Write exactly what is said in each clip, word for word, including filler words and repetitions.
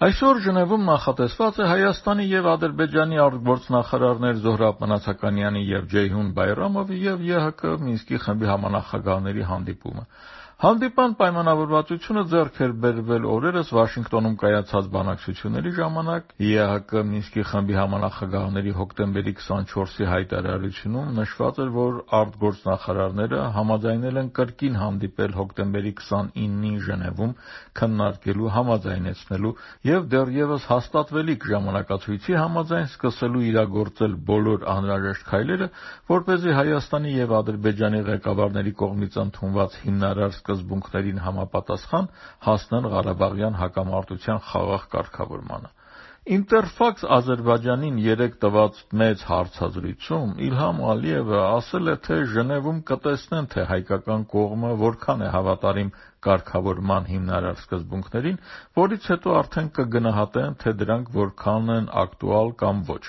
Այսօր Ժնևում նախատեսված է Հայաստանի և Ադրբեջանի արտգործնախարարներ Զոհրաբ Մնացականյանի և Ջեյհուն Բայրամովի և ԵՀԿ Մինսկի խմբի համանախագահների հանդիպումը։ Հանդիպան պայմանավորվածությունը ձեռք էր բերվել օրերս Վաշինգտոնում կայացած բանակցությունների ժամանակ։ ԵՀԿ Մինսկի խմբի համանախագահների հոկտեմբերի քսանչորսի հայտարարությունում նշված էր, որ արտգործնախարարները համաձայնել են կրկին հանդիպել հոկտեմբերի քսանինին Ժնևում քննարկելու, համաձայնեցնելու և դեռևս հաստատվելիք ժամանակացույցի համաձայն սկսելու իրագործել բոլոր անհրաժեշտ քայլերը, որպեսզի Հայաստանի և Ադրբեջանի ղեկավարների կողմից ընդունված հիմնարար սկզբունքներին համապատասխան հասնեն Ղարաբաղյան հակամարտության խաղաղ կարգավորմանը։ Ինտերֆաքս Ադրբեջանին երեկ տված մեծ հարցազրույցում Իլհամ Ալիևը ասել է, թե Ժնևում կտեսնեն, թե հայկական կողմը որքան է հավատարիմ կարգավորման հիմնարար սկզբունքներին, որից հետո արդեն կգնահատեն, թե դրանք որքան են ակտուալ կամ ոչ։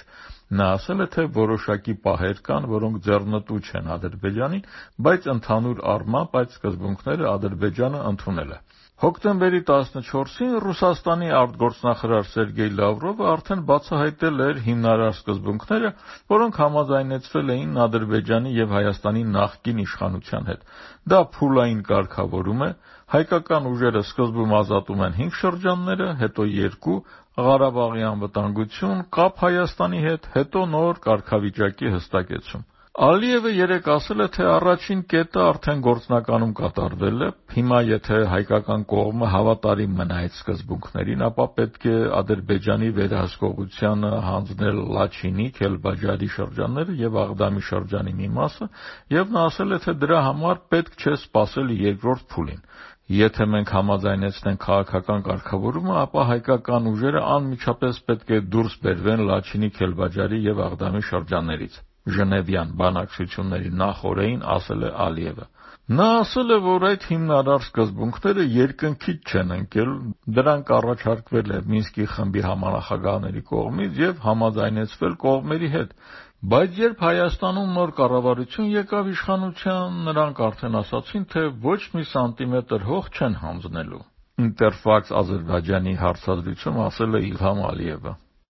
Նա ասել է, թե որոշակի պահեր կան, որոնք ձեռնտու չեն Ադրբեջանին, բայց ընդհանուր առմամբ այդ սկզբունքները Ադրբեջանը ընդունել է։ Հոկտեմբերի տասնչորսին Ռուսաստանի արտգործնախարար Սերգեյ Լավրովը արդեն բացահայտել էր հիմնարար սկզբունքները, որոնք համաձայնեցվել էին Ադրբեջանի և Հայաստանի նախկին իշխանության հետ։ Դա փուլային կարգավորում է, հայկական ուժերը սկզբում ազատում են հինգ շրջանները, հետո երկու, Ղարաբաղի անվտանգություն, կապ Հայաստանի հետ, հետո նոր կարգավիճակի հստակեցում։ Ալիևը երեկ ասել է, թե առաջին կետը արդեն գործնականում կատարվել է։ Հիմա եթե հայկական կողմը հավատարիմ մնա այդ սկզբունքներին, ապա պետք է Ադրբեջանի վերահսկողությանը հանձնել Լաչինի, Քելբաջարի շրջանները և Աղդամի շրջանի մի մասը, և նա ասել է, թե դրա համար պետք չէ սպասել երկրորդ փուլին։ Եթե մենք համաձայնեցնենք քաղաքական կարգավորումը, ապա հայկական ուժերը անմիջապես պետք է դուրս բերվեն Լաչինի, Քելբաջարի և Աղդամի շրջաններից, Ժնևյան բանակցությունների նախօրեին ասել է Ալիևը։ Նա ասել է, որ այդ հիմնարար սկզբունքները երկնքից չեն ընկել, դրանք առաջարկվել է Մինսկի խմբի համանախագահների կողմից և համաձայնեցվել կողմերի հետ, բայց երբ Հայաստանում նոր կառավարություն եկավ իշխանության, նրանք արդեն ասացին, թե ոչ մի սանտիմետր հող չեն հանձնելու։ Ինտերֆաքս Ադրբեջանի հարցազրույցում ասել է Իլհամ Ալիևը։